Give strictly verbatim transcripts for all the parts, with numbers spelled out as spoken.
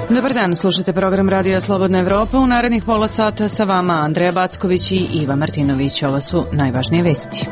Dobar dan, slušate program Radija Slobodna Evropa. U narednih pola sata sa vama Andreja Backović i Iva Martinović. Ovo su najvažnije vesti.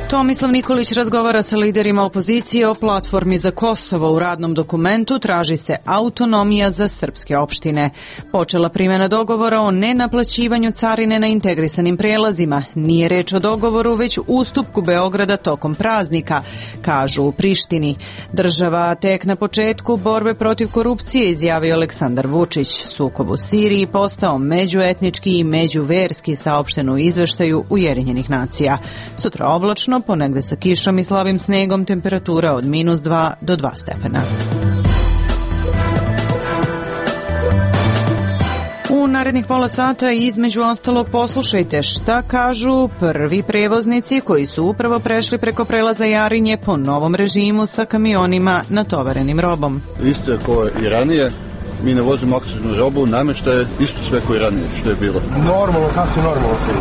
Tomislav Nikolić razgovara sa liderima opozicije o platformi za Kosovo. U radnom dokumentu traži se autonomija za srpske opštine. Počela primjena dogovora o nenaplaćivanju carine na integrisanim prelazima. Nije reč o dogovoru, već ustupku Beograda tokom praznika, kažu u Prištini. Država tek na početku borbe protiv korupcije, izjavio Aleksandar Vučić. Sukob u Siriji postao međuetnički i međuverski, saopšteno u izveštaju Ujedinjenih nacija. Sutra oblačno, ponegde sa kišom i slabim snegom, temperatura od minus dva do dva stepena. U narednih pola sata između ostalog poslušajte šta kažu prvi prevoznici koji su upravo prešli preko prelaza Jarinje po novom režimu sa kamionima natovarenim robom. Isto je kao i ranije. Mi ne vozimo akciznu robu, namještaje isto sve kao i ranije što je bilo. Normalno, sasvim normalno sve.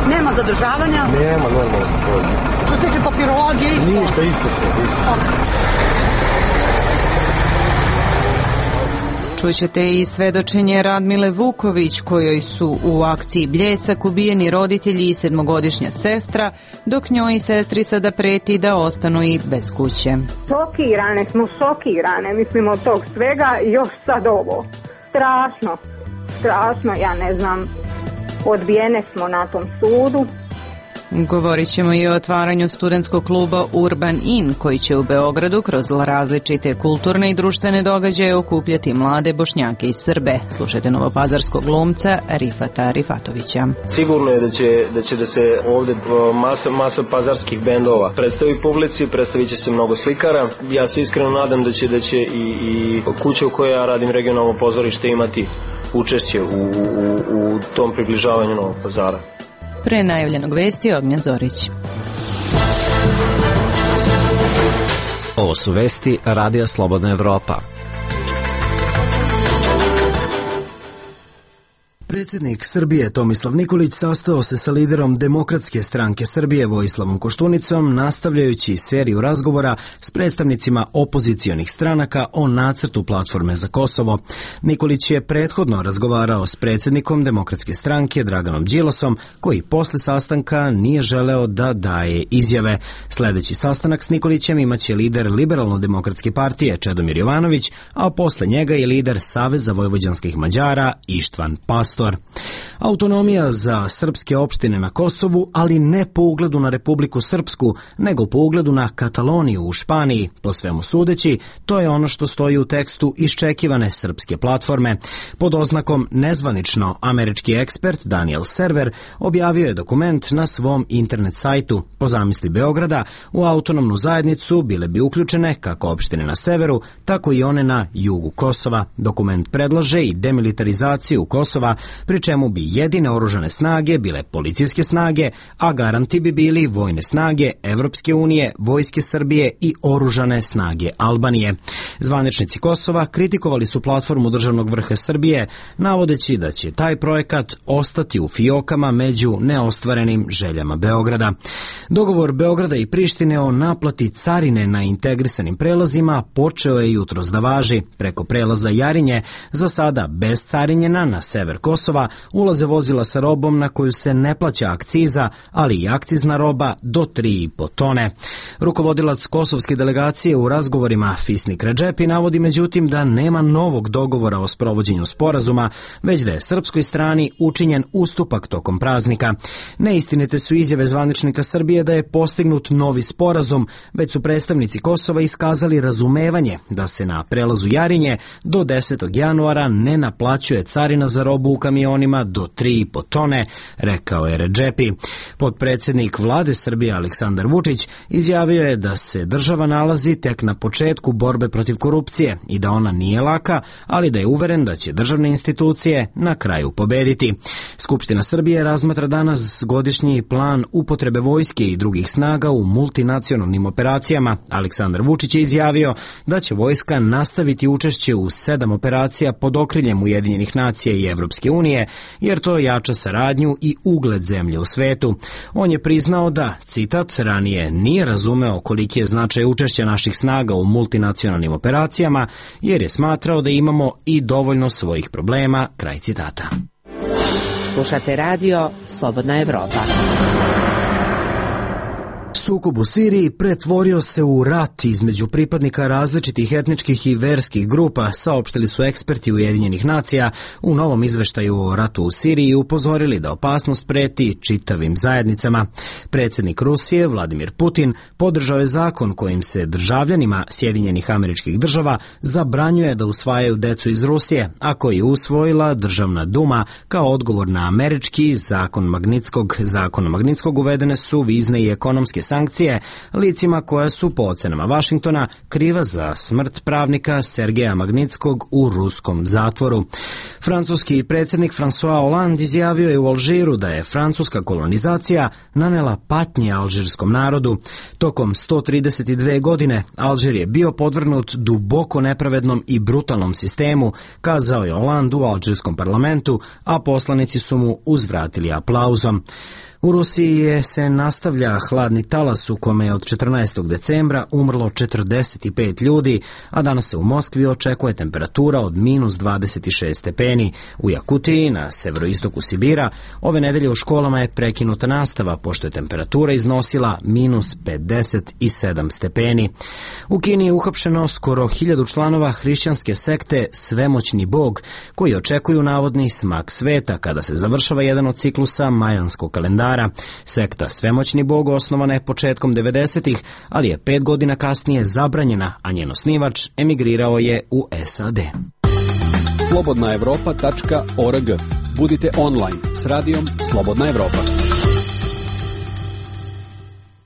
Nema zadržavanja? Nema, normalno se vozi. Što se tiče papirologije? Ništa, isto sve, isto. Čućete i svedočenje Radmile Vuković, kojoj su u akciji Bljesak ubijeni roditelji i sedmogodišnja sestra, dok njoj i sestri sada preti da ostanu i bez kuće. Šokirane smo, šokirane, mislim od tog svega i još sad ovo. Strašno, strašno, ja ne znam, odbijene smo na tom sudu. Govorit ćemo i o otvaranju studentskog kluba Urban In, koji će u Beogradu kroz različite kulturne i društvene događaje okupljati mlade Bošnjake i Srbe. Slušajte novopazarskog glumca Rifata Rifatovića. Sigurno je da će da, će da se ovdje masa, masa pazarskih bendova predstavi publici, predstavit će se mnogo slikara. Ja se iskreno nadam da će, da će i, i kuća u kojoj ja radim, regionalno pozorište, imati učešće u, u, u tom približavanju Novog Pazara. Pre najavljenog vesti Ognja Zorić. Ovo su vesti Radija Slobodna Evropa. Predsjednik Srbije Tomislav Nikolić sastao se sa liderom Demokratske stranke Srbije Vojislavom Koštunicom, nastavljajući seriju razgovora s predstavnicima opozicionih stranaka o nacrtu platforme za Kosovo. Nikolić je prethodno razgovarao s predsjednikom Demokratske stranke Draganom Đilasom, koji posle sastanka nije želeo da daje izjave. Sljedeći sastanak s Nikolićem imaće lider Liberalno-demokratske partije Čedomir Jovanović, a posle njega je lider Saveza vojvođanskih Mađara Ištvan Pastor. Autonomija za srpske opštine na Kosovu, ali ne po ugledu na Republiku Srpsku, nego po ugledu na Kataloniju u Španiji. Po svemu sudeći, to je ono što stoji u tekstu iščekivane srpske platforme. Pod oznakom nezvanično, američki ekspert Daniel Server objavio je dokument na svom internet sajtu. Po zamisli Beograda, u autonomnu zajednicu bile bi uključene kako opštine na severu, tako i one na jugu Kosova. Dokument predlaže i demilitarizaciju Kosova, pri čemu bi jedine oružane snage bile policijske snage, a garanti bi bili vojne snage Evropske unije, vojske Srbije i oružane snage Albanije. Zvaničnici Kosova kritikovali su platformu državnog vrha Srbije, navodeći da će taj projekat ostati u fijokama među neostvarenim željama Beograda. Dogovor Beograda i Prištine o naplati carine na integrisanim prelazima počeo je jutros da važi. Preko prelaza Jarinje, za sada bez carinjena na sever Kosova, ulaze vozila sa robom na koju se ne plaća akciza, ali i akcizna roba do tri i po tone. Rukovodilac kosovske delegacije u razgovorima Fisnik Redžepi navodi međutim da nema novog dogovora o sprovođenju sporazuma, već da je srpskoj strani učinjen ustupak tokom praznika. Neistinite su izjave zvaničnika Srbije da je postignut novi sporazum, već su predstavnici Kosova iskazali razumevanje da se na prelazu Jarinje do desetog januara ne naplaćuje carina za robu u kamionima do tri i po tone, rekao je Redžepi. Potpredsjednik vlade Srbije Aleksandar Vučić izjavio je da se država nalazi tek na početku borbe protiv korupcije i da ona nije laka, ali da je uveren da će državne institucije na kraju pobediti. Skupština Srbije razmatra danas godišnji plan upotrebe vojske i drugih snaga u multinacionalnim operacijama. Aleksandar Vučić je izjavio da će vojska nastaviti učešće u sedam operacija pod okriljem Ujedinjenih nacija i Evropske unije unije, jer to jača saradnju i ugled zemlje u svetu. On je priznao da, citat, ranije nije razumeo koliki je značaj učešća naših snaga u multinacionalnim operacijama, jer je smatrao da imamo i dovoljno svojih problema, kraj citata. Slušate radio Slobodna Evropa. Sukob u Siriji pretvorio se u rat između pripadnika različitih etničkih i verskih grupa, saopštili su eksperti Ujedinjenih nacija u novom izveštaju o ratu u Siriji i upozorili da opasnost preti čitavim zajednicama. Predsjednik Rusije, Vladimir Putin, podržao je zakon kojim se državljanima Sjedinjenih Američkih Država zabranjuje da usvajaju decu iz Rusije, a koji je usvojila Državna duma kao odgovor na američki zakon Magnitskog. Zakonom Magnitskog uvedene su vizne i ekonomske sankcije licima koja su po ocenama Vašingtona kriva za smrt pravnika Sergeja Magnitskog u ruskom zatvoru. Francuski predsjednik François Hollande izjavio je u Alžiru da je francuska kolonizacija nanela patnje alžirskom narodu. Tokom sto trideset dve godine Alžir je bio podvrgnut duboko nepravednom i brutalnom sistemu, kazao je Hollande u alžirskom parlamentu, a poslanici su mu uzvratili aplauzom. U Rusiji je se nastavlja hladni talas u kome je od četrnaestog decembra umrlo četrdeset pet ljudi, a danas se u Moskvi očekuje temperatura od minus dvadeset šest stepeni. U Jakutiji, na severoistoku Sibira, ove nedelje u školama je prekinuta nastava, pošto je temperatura iznosila minus pedeset sedam stepeni. U Kini je uhapšeno skoro hiljadu članova hrišćanske sekte Svemoćni Bog, koji očekuju navodni smak sveta kada se završava jedan od ciklusa majanskog kalendara. Sekta Svemoćni Bog osnovana je početkom devedesetih, ali je pet godina kasnije zabranjena, a njen osnivač emigrirao je u S A D. slobodna evropa tačka org. Budite online s radijom Slobodna Evropa.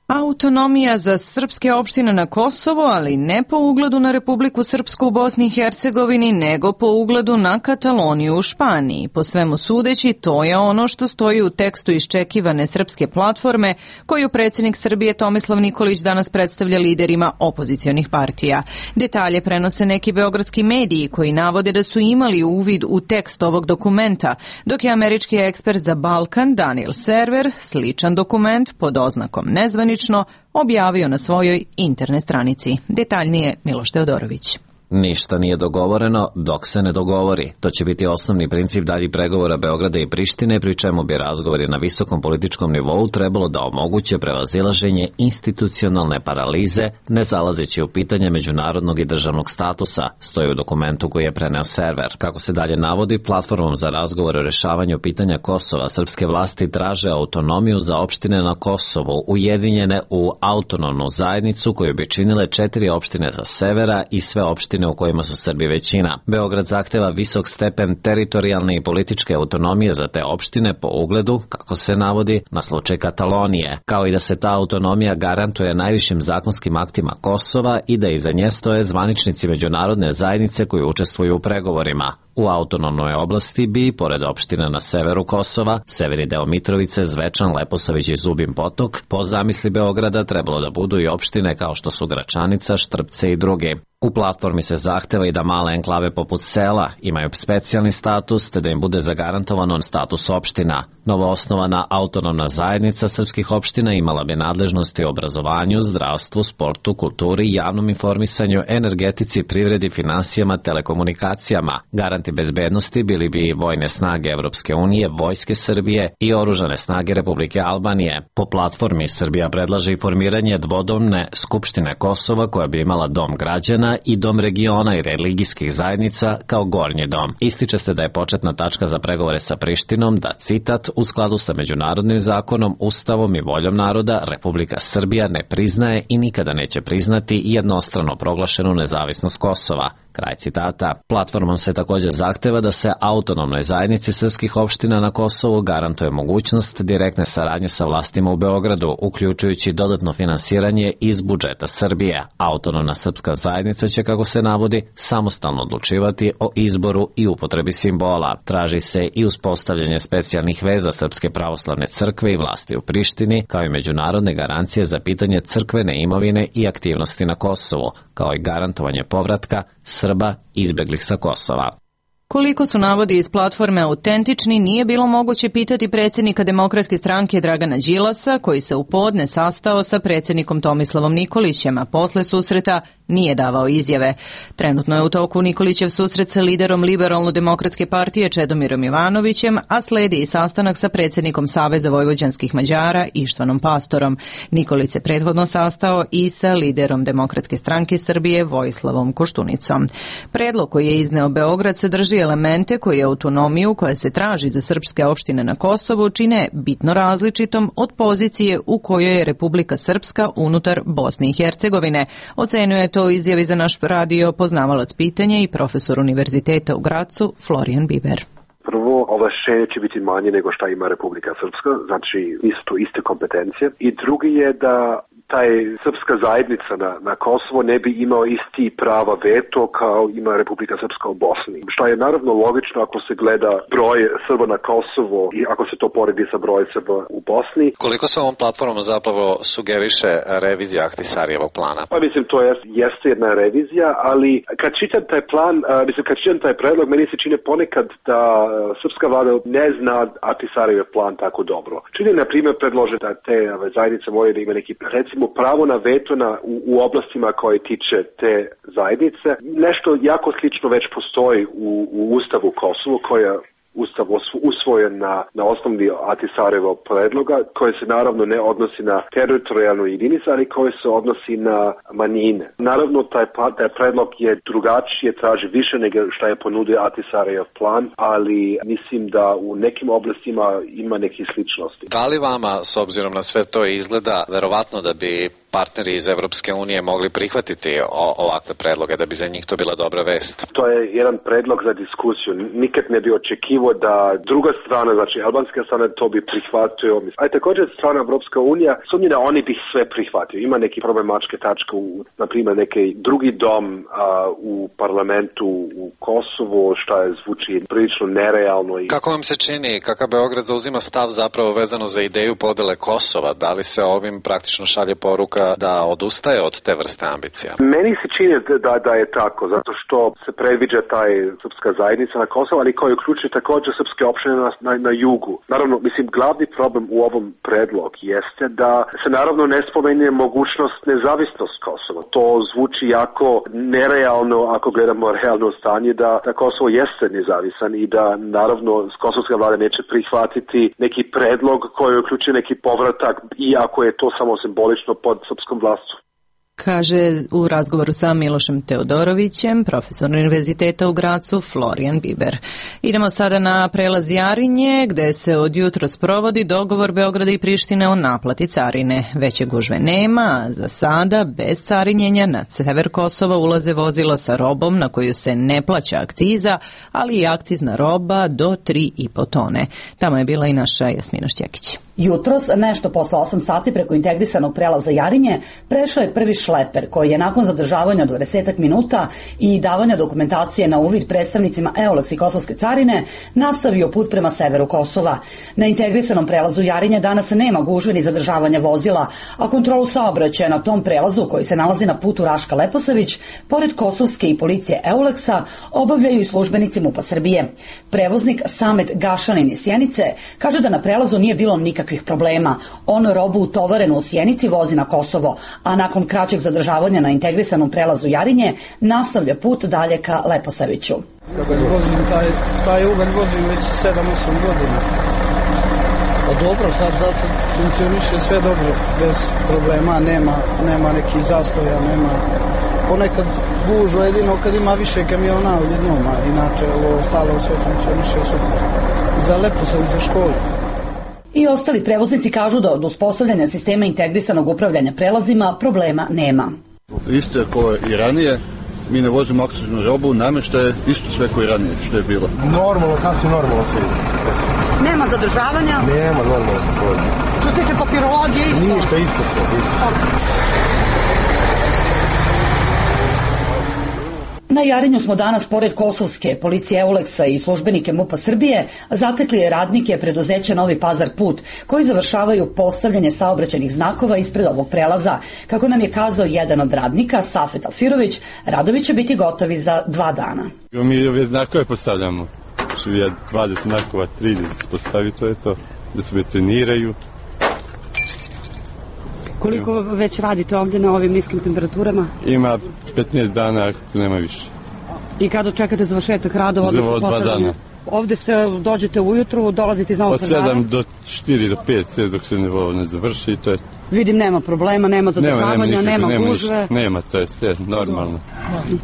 Autonomija za srpske opštine na Kosovo, ali ne po ugledu na Republiku Srpsku u Bosni i Hercegovini, nego po ugledu na Kataloniju u Španiji. Po svemu sudeći, to je ono što stoji u tekstu iščekivane srpske platforme koju predsjednik Srbije Tomislav Nikolić danas predstavlja liderima opozicionih partija. Detalje prenose neki beogradski mediji koji navode da su imali uvid u tekst ovog dokumenta, dok je američki ekspert za Balkan Daniel Server sličan dokument pod oznakom nezvanično objavio na svojoj internet stranici. Detaljnije Miloš Teodorović. Ništa nije dogovoreno dok se ne dogovori. To će biti osnovni princip daljih pregovora Beograda i Prištine, pri čemu bi razgovori na visokom političkom nivou trebalo da omoguće prevazilaženje institucionalne paralize, ne zalazeći u pitanje međunarodnog i državnog statusa, stoji u dokumentu koji je preneo Server. Kako se dalje navodi, platformom za razgovor o rešavanju pitanja Kosova srpske vlasti traže autonomiju za opštine na Kosovu, ujedinjene u autonomnu zajednicu koju bi činile četiri opštine sa severa i sve opštine u kojima su Srbi većina. Beograd zahteva visok stepen teritorijalne i političke autonomije za te opštine po ugledu, kako se navodi, na slučaj Katalonije, kao i da se ta autonomija garantuje najvišim zakonskim aktima Kosova i da iza nje stoje zvaničnici međunarodne zajednice koji učestvuju u pregovorima. U autonomnoj oblasti bi, pored opština na severu Kosova, severni deo Mitrovice, Zvečan, Leposavić i Zubin Potok, po zamisli Beograda trebalo da budu i opštine kao što su Gračanica, Štrpce i drugi. U platformi se zahteva i da male enklave poput sela imaju specijalni status, te da im bude zagarantovan status opština. Novoosnovana autonomna zajednica srpskih opština imala bi nadležnosti u obrazovanju, zdravstvu, sportu, kulturi, javnom informisanju, energetici, privredi, finansijama, telekomunikacijama. Garanti bezbednosti bili bi i vojne snage Evropske unije, vojske Srbije i oružane snage Republike Albanije. Po platformi Srbija predlaže i formiranje dvodomne Skupštine Kosova koja bi imala dom građana i dom regiona i religijskih zajednica kao gornji dom. Ističe se da je početna tačka za pregovore sa Prištinom da, citat, u skladu sa međunarodnim zakonom, ustavom i voljom naroda, Republika Srbija ne priznaje i nikada neće priznati jednostrano proglašenu nezavisnost Kosova. Kraj citata. Platformom se također zahteva da se autonomnoj zajednici srpskih opština na Kosovu garantuje mogućnost direktne saradnje sa vlastima u Beogradu, uključujući dodatno finansiranje iz budžeta Srbije. Autonomna srpska zajednica će, kako se navodi, samostalno odlučivati o izboru i upotrebi simbola. Traži se i uspostavljanje specijalnih veza Srpske pravoslavne crkve i vlasti u Prištini, kao i međunarodne garancije za pitanje crkvene imovine i aktivnosti na Kosovu, kao i garantovanje povratka Srba izbeglih sa Kosova. Koliko su navodi iz platforme autentični nije bilo moguće pitati predsjednika Demokratske stranke Dragana Đilasa, koji se u podne sastao sa predsjednikom Tomislavom Nikolićem, a posle susreta nije davao izjave. Trenutno je u toku Nikolićev susret sa liderom Liberalno-demokratske partije Čedomirom Jovanovićem, a sledi i sastanak sa predsjednikom Saveza vojvođanskih Mađara Ištvanom Pastorom. Nikolić se prethodno sastao i sa liderom Demokratske stranke Srbije Vojislavom Koštunicom. Predlog koji je izneo Beograd sadrži elemente koji autonomiju koja se traži za srpske opštine na Kosovu čine bitno različitom od pozicije u kojoj je Republika Srpska unutar Bosne i Hercegovine. Ocenjuje to izjavi za naš radio poznavalac pitanja i profesor univerziteta u Gracu Florijan Biber. Prvo, ovlašćenje će biti manje nego šta ima Republika Srpska, znači isto iste kompetencije. I drugi je da taj srpska zajednica na, na Kosovo ne bi imao isti prava veto kao ima Republika Srpska u Bosni. Što je naravno logično ako se gleda broj Srba na Kosovo i ako se to poredi sa brojem Srba u Bosni. Koliko se ovom platformom zapravo sugeriše revizija Ahtisarijevog plana? Pa mislim, to jest, jeste jedna revizija, ali kad čitam taj plan, mislim, kad čitam taj predlog, meni se čine ponekad da srpska vlada ne zna Ahtisarijev plan tako dobro. Čini, na primjer, predlože da te zajednice moraju da ima neki, recimo, pravo na veto na, u, u oblastima koje tiče te zajednice. Nešto jako slično već postoji u, u Ustavu Kosovo, koja Ustav usvojen na, na osnovi Ahtisarjevog predloga, koje se naravno ne odnosi na teritorijalnu jedinicu, ali koje se odnosi na manjine. Naravno, taj, taj predlog je drugačije, traži više nego što je ponudio Ahtisarjev plan, ali mislim da u nekim oblastima ima nekih sličnosti. Da li vama, s obzirom na sve to izgleda, verovatno da bi partneri iz Evropske unije mogli prihvatiti o, ovakve predloge, da bi za njih to bila dobra vest? To je jedan predlog za diskusiju. Nikad ne bi očekivao da druga strana, znači albanska strana, to bi prihvatio. A također strana Evropska unija sumnji da oni bi sve prihvatio. Ima neki problematičke tačke, u, na primjer neki drugi dom a, u parlamentu u Kosovo, što je zvuči prilično nerealno. I... Kako vam se čini, kakav Beograd zauzima stav zapravo vezano za ideju podele Kosova? Da li se ovim praktično šalje poruka da odustaje od te vrste ambicija? Meni se čini da, da je tako, zato što se predviđa taj srpska zajednica na Kosovo, ali koji uključuje također srpske opštine na, na, na jugu. Naravno, mislim, glavni problem u ovom predlog jeste da se naravno ne spomene mogućnost nezavisnost Kosova. To zvuči jako nerealno ako gledamo realno stanje da, da Kosovo jeste nezavisan i da naravno kosovska vlada neće prihvatiti neki predlog koji uključuje neki povratak, iako je to samo simbolično pod srpskom vlastu. Kaže u razgovoru sa Milošem Teodorovićem, profesor univerziteta u Gracu, Florijan Biber. Idemo sada na prelaz Jarinje, gde se od jutros provodi dogovor Beograda i Prištine o naplati carine. Veće gužve nema, za sada bez carinjenja na sever Kosova ulaze vozila sa robom na koju se ne plaća akciza, ali i akcizna roba do tri i po tone. Tamo je bila i naša Jasmina Šćekić. Jutros, nešto posle osam sati preko integrisanog prelaza Jarinje, prešao je prvi šleper koji je nakon zadržavanja dvadeset minuta i davanja dokumentacije na uvid predstavnicima EULEX i Kosovske carine nastavio put prema severu Kosova. Na integrisanom prelazu Jarinje danas nema gužve ni zadržavanja vozila, a kontrolu saobraćaja na tom prelazu koji se nalazi na putu Raška Leposavić, pored Kosovske i policije EULEX-a, obavljaju i službenici MUP-a Srbije. Prevoznik Samet Gašanin iz Sjenice kaže da na prelazu nije bilo nikakvih problema. On robu utovarenu u Sjenici vozi na Kosovo, a nakon kraćeg zadržavanja na integrisanom prelazu Jarinje nastavlja put dalje ka Leposaviću. Kada vozim taj, taj Uber vozim već sedam osam godina. Pa dobro, sad da se funkcioniše sve dobro, bez problema, nema, nema nekih zastoja, nema ponekad gužva jedino kad ima više kamiona odjednom, a inače ovo ostalo sve funkcioniše super. Za Leposavić, za školu. I ostali prevoznici kažu da od uspostavljanja sistema integrisanog upravljanja prelazima problema nema. Isto je kao i ranije, mi ne vozimo akciznu robu, namještaje isto sve kao i ranije što je bilo. Normalno, sasvim normalno sve. Nema zadržavanja? Nema, normalno se vozi. Što se tiče papirologije isto? Ništa, isto sve, isto sve. Na Jarinju smo danas, pored kosovske policije Euleksa i službenike MUP-a Srbije, zatekli radnike preduzeća Novi Pazar Put, koji završavaju postavljanje saobraćajnih znakova ispred ovog prelaza. Kako nam je kazao jedan od radnika, Safet Alfirović, radovi će biti gotovi za dva dana. Mi ove znakove postavljamo. dvadeset znakova, trideset postavi, to je to, da se betoniraju. Koliko već radite ovdje na ovim niskim temperaturama? Ima petnaest dana, nema više. I kada čekate završetak radova? Za dva dana. Ovdje se dođete ujutru, dolazite iz Novog Pazara? Od sedam do četiri do pet, sve dok se ne, ne završi, to je... Vidim, nema problema, nema zadržavanja, nema, nema, nema gužve. Ništa, nema, to je sve normalno.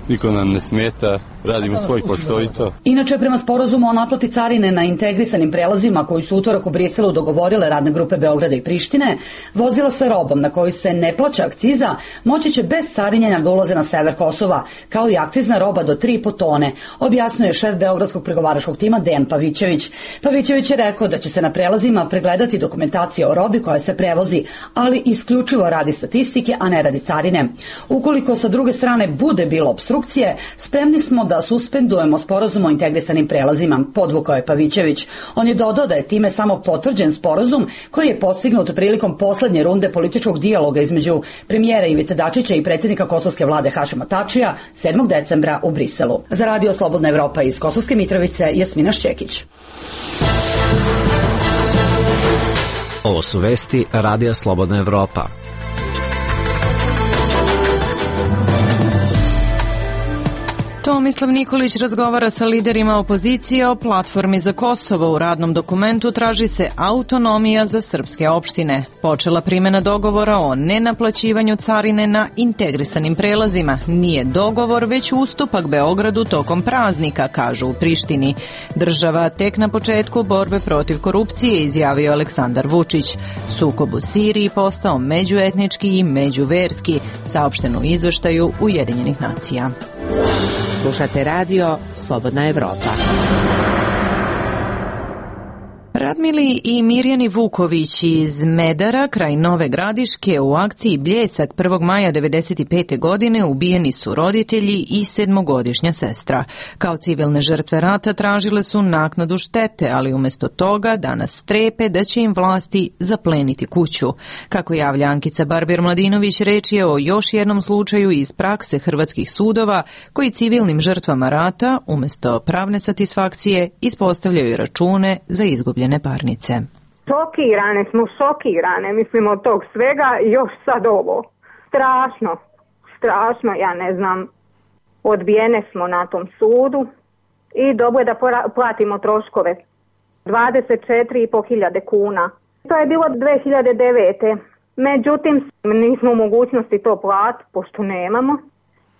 Niko nam ne smeta, radimo svoj posao i to. Inače, prema sporazumu o naplati carine na integrisanim prelazima koji su utorak u Briselu dogovorile radne grupe Beograda i Prištine, vozila sa robom na koju se ne plaća akciza moći će bez carinjenja da ulaze na sever Kosova, kao i akcizna roba do tri i po tone, objasnio je šef Beogradskog pregovaračkog tima Dejan Pavićević. Pavićević je rekao da će se na prelazima pregledati dokumentacija o robi koja se prevozi, ali isključivo radi statistike, a ne radi carine. Ukoliko sa druge strane bude bilo obstrukcije, spremni smo da suspendujemo sporazum o integrisanim prelazima, podvukao je Pavićević. On je dodao da je time samo potvrđen sporazum koji je postignut prilikom poslednje runde političkog dijaloga između premijera Ivice Dačića i predsjednika kosovske vlade Hašima Tačija sedmog decembra u Briselu. Za Radio Slobodna Evropa iz Kosovske Mitrovice, Jasmina Šćekić. Ovo su vesti Radija Slobodna Evropa. Tomislav Nikolić razgovara sa liderima opozicije o platformi za Kosovo. U radnom dokumentu traži se autonomija za srpske opštine. Počela primjena dogovora o nenaplaćivanju carine na integrisanim prelazima. Nije dogovor, već ustupak Beogradu tokom praznika, kažu u Prištini. Država tek na početku borbe protiv korupcije, izjavio Aleksandar Vučić. Sukob u Siriji postao međuetnički i međuverski, saopšteno u izveštaju Ujedinjenih nacija. Slušate radio Slobodna Evropa. Radmili i Mirjani Vuković iz Medara kraj Nove Gradiške u akciji Bljesak prvog maja devedeset pete. godine ubijeni su roditelji i sedmogodišnja sestra. Kao civilne žrtve rata tražile su naknadu štete, ali umjesto toga danas strepe da će im vlasti zapleniti kuću. Kako javlja Ankica Barber-Mladinović, reč je o još jednom slučaju iz prakse hrvatskih sudova koji civilnim žrtvama rata umjesto pravne satisfakcije ispostavljaju račune za izgubljene parnice. Šokirane smo, šokirane, mislim od tog svega i još sad ovo. Strašno, strašno, ja ne znam, odbijene smo na tom sudu i dobro je da platimo troškove. dvadeset četiri i po hiljade kuna. To je bilo dve hiljade devete. Međutim, nismo u mogućnosti to platiti, pošto nemamo.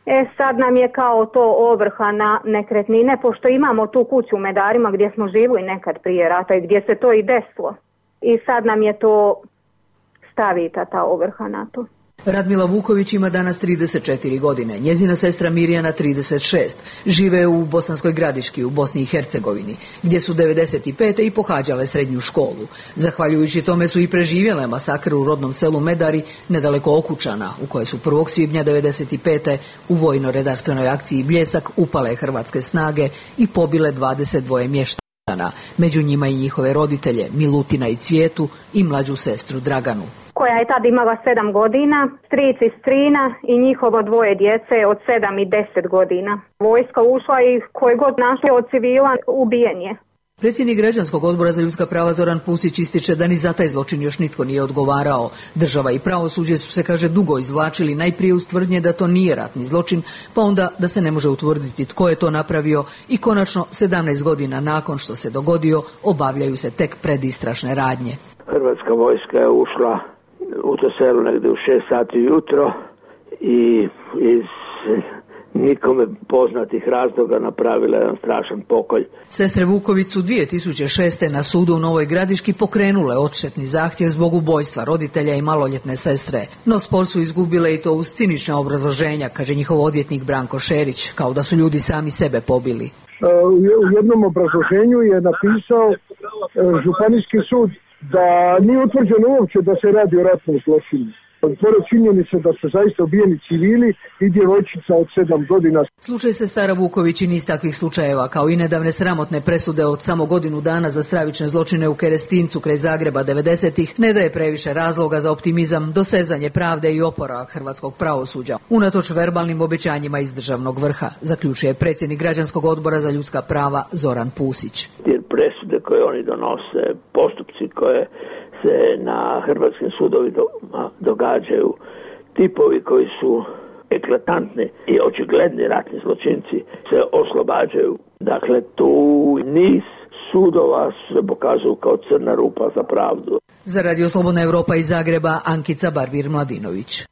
E sad nam je kao to ovrha na nekretnine, pošto imamo tu kuću u Medarima gdje smo živjeli nekad prije rata i gdje se to i desilo. I sad nam je to stavita ta ovrha na to. Radmila Vuković ima danas trideset četiri godine, njezina sestra Mirjana trideset šest. Žive u Bosanskoj Gradiški u Bosni i Hercegovini, gdje su devedeset pete. i pohađale srednju školu. Zahvaljujući tome su i preživjele masakr u rodnom selu Medari, nedaleko Okučana, u kojoj su prvog svibnja devedeset pete. u vojno-redarstvenoj akciji Bljesak upale hrvatske snage i pobile dvadeset dva mještana, među njima i njihove roditelje Milutina i Cvijetu i mlađu sestru Draganu, koja je tad imala sedam godina, stric i strina i njihovo dvoje djece od sedam i deset godina. Vojska ušla i koje god našli od civila ubijen je. Predsjednik Građanskog odbora za ljudska prava Zoran Pusić ističe da ni za taj zločin još nitko nije odgovarao. Država i pravosuđe su se, kaže, dugo izvlačili, najprije uz tvrdnje da to nije ratni zločin, pa onda da se ne može utvrditi tko je to napravio i konačno sedamnaest godina nakon što se dogodio obavljaju se tek predistrašne radnje. Hrvatska vojska je ušla u to selo negdje u šest sati jutro i iz nikome poznatih razloga napravila jedan strašan pokolj. Sestre Vuković su dvije tisuće šeste. na sudu u Novoj Gradiški pokrenule odštetni zahtjev zbog ubojstva roditelja i maloljetne sestre. No spor su izgubile i to uz cinična obrazloženja, kaže njihov odvjetnik Branko Šerić, kao da su ljudi sami sebe pobili. U jednom obrazloženju je napisao županijski sud da nije utvrđeno uopće da se radi o ratnom zločinu. Pored činjenice da su zaista ubijeni civili i djevojčica od sedam godina. Slučaj Sestara Vuković i niz takvih slučajeva, kao i nedavne sramotne presude od samo godinu dana za stravične zločine u Kerestincu kraj Zagreba devedesetih, ne daje previše razloga za optimizam, dosezanje pravde i oporavak hrvatskog pravosuđa, unatoč verbalnim obećanjima iz državnog vrha, zaključuje predsjednik Građanskog odbora za ljudska prava Zoran Pusić. Jer presude koje oni donose, postupci koje se na hrvatskim sudovima događaju, tipovi koji su eklatantni i očigledni ratni zločinci se oslobađaju. Dakle, tu niz sudova se pokazuju kao crna rupa za pravdu. Za Radio Slobodna Evropa iz Zagreba, Ankica Barbir-Mladinović.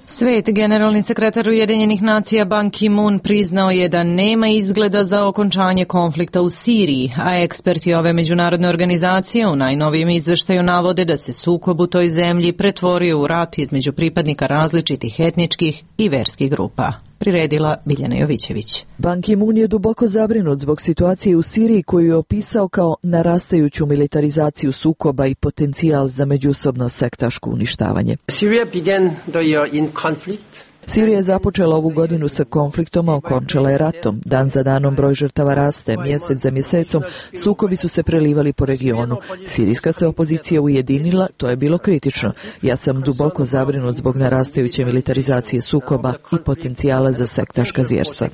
Svet, generalni sekretar Ujedinjenih nacija Ban Ki-moon priznao je da nema izgleda za okončanje konflikta u Siriji, a eksperti ove međunarodne organizacije u najnovijem izveštaju navode da se sukob u toj zemlji pretvorio u rat između pripadnika različitih etničkih i verskih grupa. Priredila Biljana Jovićević. Ban Ki-moon je duboko zabrinut zbog situacije u Siriji koju je opisao kao narastajuću militarizaciju sukoba i potencijal za međusobno sektaško uništavanje. Syria began the year in conflict. Sirija je započela ovu godinu sa konfliktom, a okončala je ratom. Dan za danom broj žrtava raste, mjesec za mjesecom sukobi su se prelivali po regionu. Sirijska se opozicija ujedinila, to je bilo kritično. Ja sam duboko zabrinut zbog narastajuće militarizacije sukoba i potencijala za sektaška zvjerstva.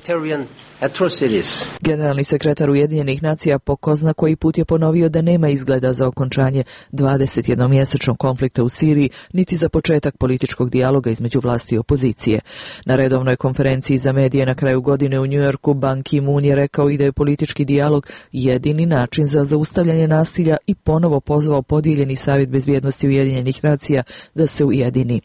Generalni sekretar Ujedinjenih nacija po ko zna koji put je ponovio da nema izgleda za okončanje dvadesetjednomjesečnog konflikta u Siriji, niti za početak političkog dijaloga između vlasti i opozicije. Na redovnoj konferenciji za medije na kraju godine u Njujorku Ban Ki-moon je rekao i da je politički dijalog jedini način za zaustavljanje nasilja i ponovo pozvao podijeljeni savjet bezbjednosti Ujedinjenih nacija da se ujedini.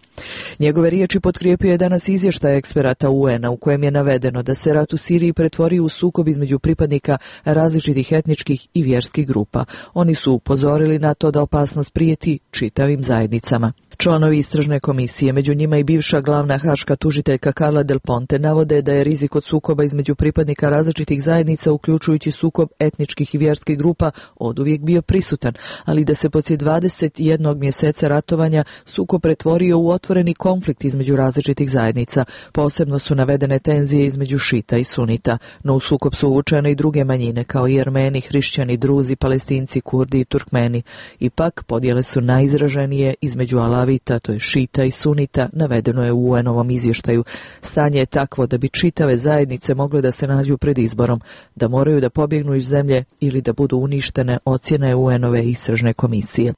Njegove riječi potkrijepio je danas izvještaj eksperata U N-a u kojem je navedeno da se rat u Siriji pretvorio u sukob između pripadnika različitih etničkih i vjerskih grupa. Oni su upozorili na to da opasnost prijeti čitavim zajednicama. Članovi istražne komisije, među njima i bivša glavna haška tužiteljka Carla Del Ponte, navode da je rizik od sukoba između pripadnika različitih zajednica, uključujući sukob etničkih i vjerskih grupa, oduvijek bio prisutan, ali da se poslije dvadeset jednog mjeseca ratovanja sukob pretvorio u otvoreni konflikt između različitih zajednica. Posebno su navedene tenzije između šita i sunita, no u sukob su uvučene i druge manjine, kao i Armeni, hrišćani, druzi, palestinci, kurdi i turkmeni. Ipak, podjele su najizraženije između Alavi, to je šita i sunita, navedeno je u U N-ovom izvještaju. Stanje je takvo da bi čitave zajednice mogle da se nađu pred izborom, da moraju da pobjegnu iz zemlje ili da budu uništene, ocjena je U N-ove istražne komisije.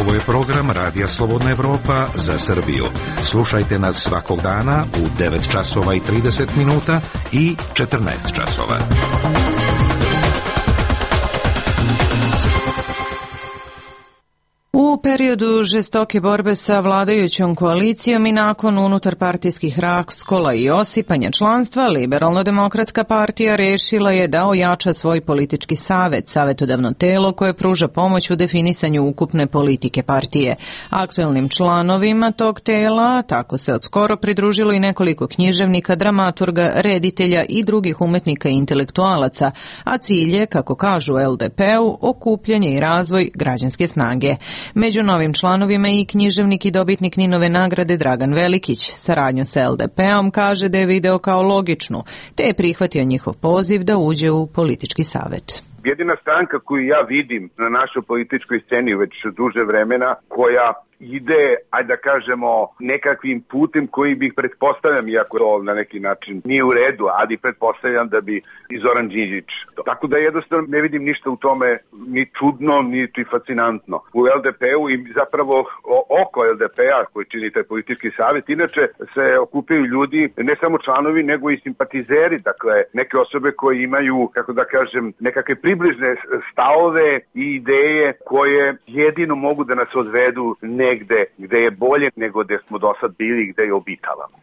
Ovo je program Radija Slobodna Evropa za Srbiju. Slušajte nas svakog dana u devet časova i trideset minuta i četrnaest časova. U periodu žestoke borbe sa vladajućom koalicijom i nakon unutarpartijskih raskola i osipanja članstva, Liberalno-demokratska partija rešila je da ojača svoj politički savet, savetodavno telo koje pruža pomoć u definisanju ukupne politike partije. Aktuelnim članovima tog tela tako se odskoro pridružilo i nekoliko književnika, dramaturga, reditelja i drugih umetnika i intelektualaca, a cilj je, kako kažu u L D P-u, okupljanje i razvoj građanske snage. Među novim članovima i književnik i dobitnik Ninove nagrade Dragan Velikić. Saradnju sa L D P-om kaže da je video kao logičnu, te je prihvatio njihov poziv da uđe u politički savet. Jedina stranka koju ja vidim na našoj političkoj sceni već duže vremena, koja ide, ajde da kažemo, nekakvim putem koji bih pretpostavljam, iako to na neki način nije u redu, ali pretpostavljam da bi i Zoran Đinđić. Tako da jednostavno ne vidim ništa u tome ni čudno, niti fascinantno. U L D P-u i zapravo oko L D P-a koji čini taj politički savjet, inače se okupljaju ljudi, ne samo članovi, nego i simpatizeri, dakle neke osobe koje imaju, kako da kažem, nekakve približne stavove i ideje koje jedino mogu da nas odvedu negde gde je bolje nego gde smo do sad bili i gde je obitavamo.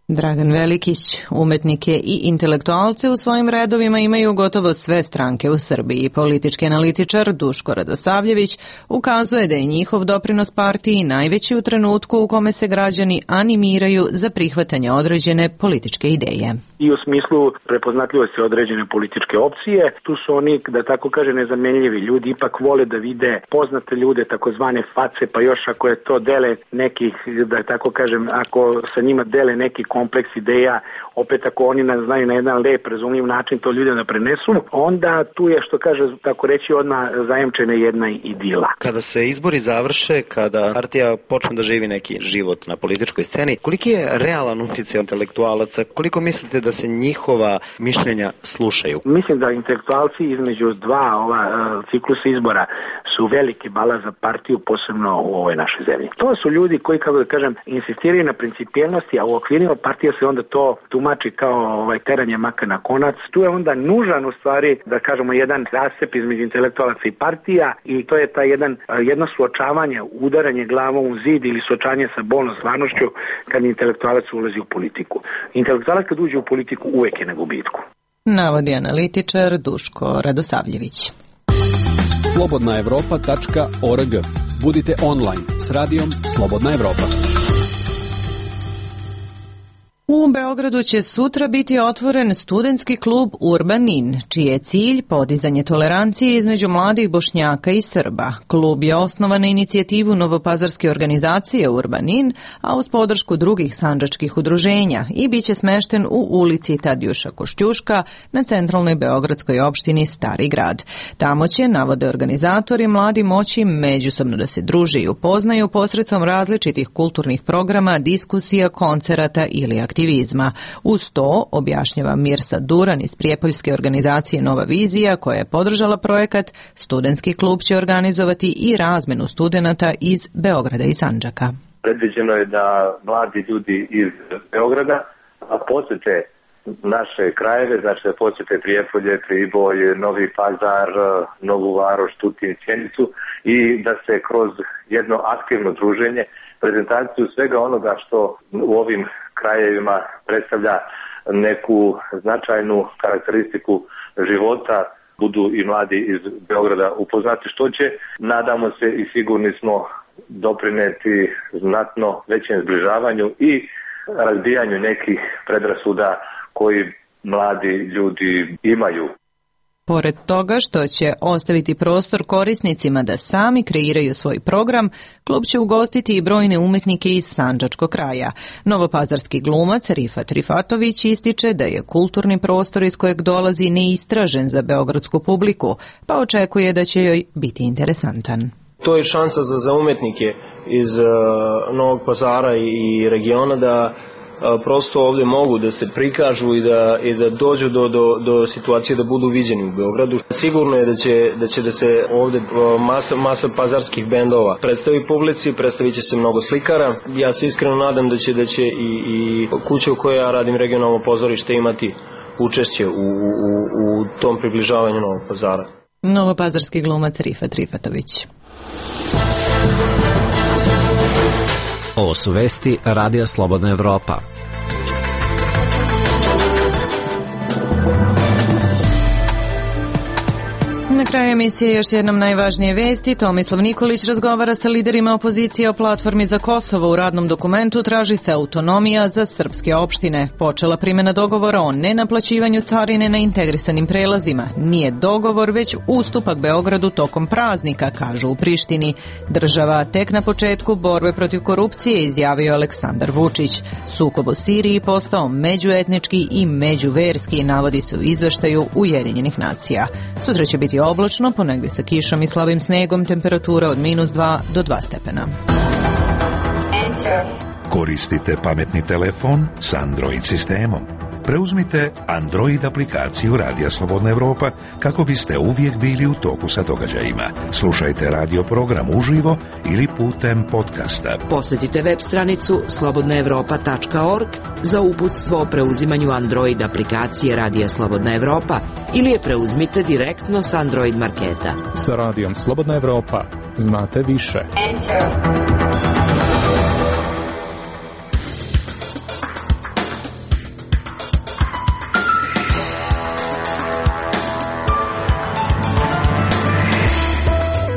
Dragan Velikić, umetnike i intelektualce u svojim redovima imaju gotovo sve stranke u Srbiji. Politički analitičar Duško Radosavljević ukazuje da je njihov doprinos partiji najveći u trenutku u kome se građani animiraju za prihvatanje određene političke ideje. I u smislu prepoznatljivosti određene političke opcije, tu su oni, da tako kaže, nezamenljivi. Ljudi ipak vole da vide poznate ljude, takozvane face, pa još ako je to dele nekih, da tako kažem, ako sa njima dele neki kompleks ideja, opet ako oni nas znaju na jedan lep, razumljiv način to ljude da prenesu, onda tu je, što kaže, tako reći, odmah zajemčena jedna idila. Kada se izbori završe, kada partija počne da živi neki život na političkoj sceni, koliki je realan utjecaj intelektualaca? Koliko mislite da se njihova mišljenja slušaju? Mislim da intelektualci između dva ova uh, ciklusa izbora su veliki balast za partiju, posebno u ovoj našoj zemlji. To su ljudi koji, kako da kažem, insistiraju na principijelnosti, a u okvirima partija se onda to tumači kao ovaj, teranje maka na konac. Tu je onda nužan, u stvari, da kažemo, jedan rascep između intelektualaca i partija, i to je taj jedan, jedno suočavanje, udaranje glavom u zid ili suočanje sa bolnom stvarnošću kad intelektualac ulazi u politiku. Intelektualac kad uđe u politiku uvek je na gubitku. Navodi analitičar Duško Radosavljević. slobodna evropa tačka org. Budite online s radijom Slobodna Evropa. U Beogradu će sutra biti otvoren studentski klub Urbanin, čiji je cilj podizanje tolerancije između mladih Bošnjaka i Srba. Klub je osnovan na inicijativu novopazarske organizacije Urbanin, a uz podršku drugih sandžačkih udruženja, i bit će smešten u ulici Tadjuša Košćuška na centralnoj beogradskoj opštini Stari grad. Tamo će, navode organizatori, mladi moći međusobno da se druže i upoznaju posredstvom različitih kulturnih programa, diskusija, koncerata ili aktivnosti. aktivizma. Uz to, objašnjava Mirsa Duran iz prijepoljske organizacije Nova vizija, koja je podržala projekat, studentski klub će organizovati i razmenu studenata iz Beograda i Sandžaka. Predviđeno je da mladi ljudi iz Beograda posete naše krajeve, znači da posete Prijepolje, Priboj, Novi Pazar, Novu Varoš, Tutin, Sjenicu, i da se kroz jedno aktivno druženje, prezentaciju svega onoga što u ovim krajevima predstavlja neku značajnu karakteristiku života, budu i mladi iz Beograda upoznati, što će, nadamo se i sigurni smo, doprineti znatno većem zbližavanju i razbijanju nekih predrasuda koji mladi ljudi imaju. Pored toga što će ostaviti prostor korisnicima da sami kreiraju svoj program, klub će ugostiti i brojne umetnike iz sandžačkog kraja. Novopazarski glumac Rifat Rifatović ističe da je kulturni prostor iz kojeg dolazi neistražen za beogradsku publiku, pa očekuje da će joj biti interesantan. To je šansa za, za umetnike iz uh, Novog Pazara i regiona da prosto ovdje mogu da se prikažu i da, i da dođu do, do, do situacije da budu viđeni u Beogradu. Sigurno je da će da, će da se ovdje masa, masa pazarskih bendova predstavi publici, predstavit će se mnogo slikara. Ja se iskreno nadam da će, da će i, i kuća u kojoj ja radim, regionalno pozorište, imati učešće u, u, u tom približavanju Novog Pazara. Novopazarski glumac Rifat Rifatović. Ovo su vesti Radija Slobodna Evropa. Na kraju emisije još jednom najvažnije vesti. Tomislav Nikolić razgovara sa liderima opozicije o platformi za Kosovo. U radnom dokumentu traži se autonomija za srpske opštine. Počela primjena dogovora o nenaplaćivanju carine na integrisanim prelazima. Nije dogovor, već ustupak Beogradu tokom praznika, kažu u Prištini. Država tek na početku borbe protiv korupcije, izjavio Aleksandar Vučić. Sukob u Siriji postao međuetnički i međuverski, navodi se u izveštaju Ujedinjenih nacija. Sutra će biti oblačno, ponegdje sa kišom i slabim snegom, temperatura od minus dva do dva stepena. Koristite pametni telefon s Android sistemom. Preuzmite Android aplikaciju Radija Slobodna Evropa kako biste uvijek bili u toku sa događajima. Slušajte radio program uživo ili putem podcasta. Posjetite web stranicu slobodna evropa tačka org za uputstvo o preuzimanju Android aplikacije Radija Slobodna Evropa ili je preuzmite direktno s Android marketa. Sa Radijom Slobodna Evropa znate više. Enter.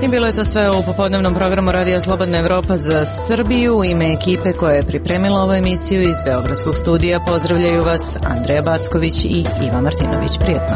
I bilo je to sve u popodnevnom programu Radija Slobodna Evropa za Srbiju. U ime ekipe koja je pripremila ovu emisiju iz Beogradskog studija pozdravljaju vas Andreja Backović i Iva Martinović. Prijetno.